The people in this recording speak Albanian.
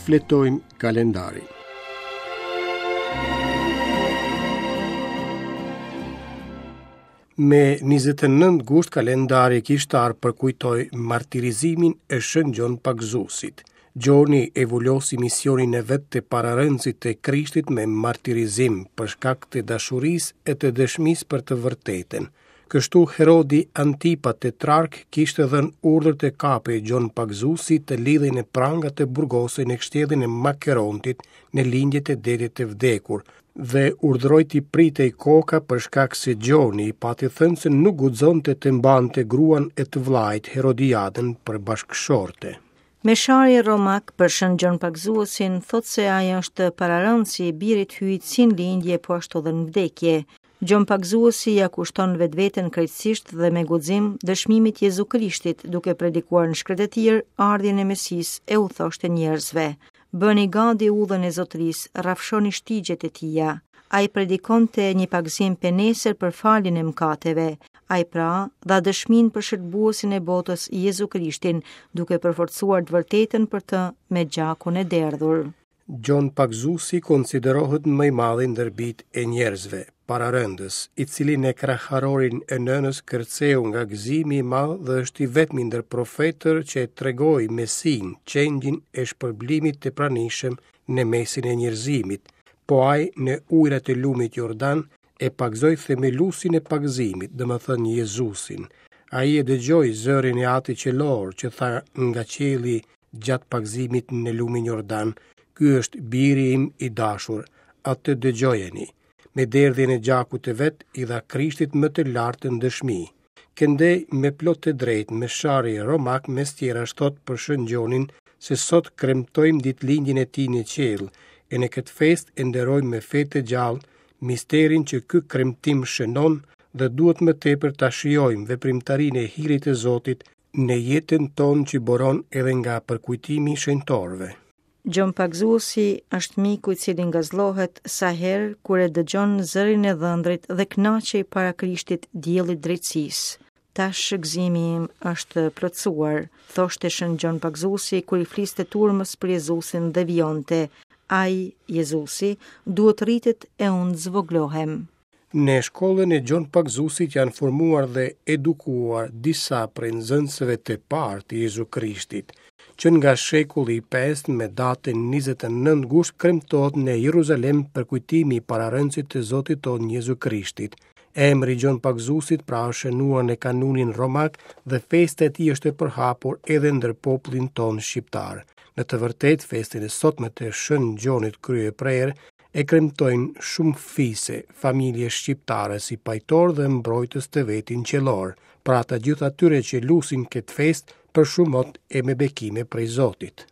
Shfletojmë kalendarin. Me 29 gusht kalendari kishtar përkujtoi martirizimin e Shën Gjon Pagëzuesit. Gjoni e vulosi misionin e vet të pararendësit të Krishtit me martirizim për shkak të dashurisë e të dëshmisë për të vërtetën. Kështu Herodi Antipa tetrark kishte dhënë urdhër të kapej Gjon Pagëzuesi të lidhej në pranga të burgosej në kështjellën e Makerontit në lindje të Detit të Vdekur dhe urdhëroi t'i pritej koka për shkak se Gjoni i pati thënë se nuk guxonte të mbante gruan e të vëllait Herodiadën për bashkëshorte. Meshari romak për Shën Gjon Pagëzuesin thotë se ai është pararendësi i birit Hyjit si në lindje po ashtu dhe në vdekje. Gjon Pagëzuesi ia kushton vetveten krejtësisht dhe me guxim dëshmimit Jezu Krishtit, duke predikuar në shkretëtirë ardhjen e Mesisë e u thoshte njerëzve: Bëni gati udhën e Zotërisë, rrafshoni shtigjet e tija. Ai predikonte një pagëzim penesër për faljen e mëkateve. Ai pra dha dëshminë për shëlbuesin e botës Jezu Krishtin, duke përforcuar të vërtetën për të me gjakun e derdhur. Gjon Pagëzuesi konsiderohet më i madhi ndër bijtë e njerëzve, pararendës, i cili në kraharorin e nënës kërceu nga gëzimi i madh dhe është i vetmi ndër profetër që e tregoi Mesinë, qengjin e shpërblimit të pranishëm në mesin e njerëzimit. Po ai në ujërat e lumit Jordan e pagëzoi themeluesin e pagëzimit, domethënë Jezusin. Ai e dëgjoi zërin e Atit Qiellor që tha nga qielli gjatë pagëzimit në lumin Jordan, ky është biri im i dashur, atë dëgjojeni. Me derdhjen e gjakut të vet i dha Krishtit më të lartën dëshmi. Këndej me plot të drejtë meshari romak mes tjerash thotë për Shën Gjonin se sot kremtojmë ditëlindjen e tij në qiell e në këtë festë e nderojmë me fe të gjallë misterin që ky kremtim shënon dhe duhet më tepër ta shijojmë veprimtarinë e hirit të Zotit në jetën tonë që buron edhe nga përkujtimi i shenjtorëve. Gjon Pagëzuesi është miku i cili ngazëllohet sa herë kur e dëgjon zërin e dhëndrit dhe kënaqej para Krishtit diellit drejtësisë. Tash gëzimi im është plotësuar, thoshte Shën Gjon Pagëzuesi kur i fliste turmës për Jezusin dhe vijonte, Ai, Jezusi, duhet të rritet e unë të zvogëlohem. Në shkollën e Gjon Pagëzuesit janë formuar dhe edukuar disa prej nxënësve të parë të Jezu Krishtit. Që nga shekulli i pestë me datën 29 gusht kremtohet në Jeruzalem përkujtimi i pararendësit të Zotit tonë Jezu Krishtit. Emri i Gjon Pagëzuesit pra është shënuar në kanunin romak dhe festa e tij është e përhapur edhe ndër popullin tonë shqiptar. Në të vërtetë, festën e sotme të Shën Gjonit Kryeprerë e kremtojnë shumë fise, familje shqiptare si pajtor dhe mbrojtës të vetin qiellor, pra të gjithë atyre që lusin këtë festë për shumë mot e me bekime prej Zotit.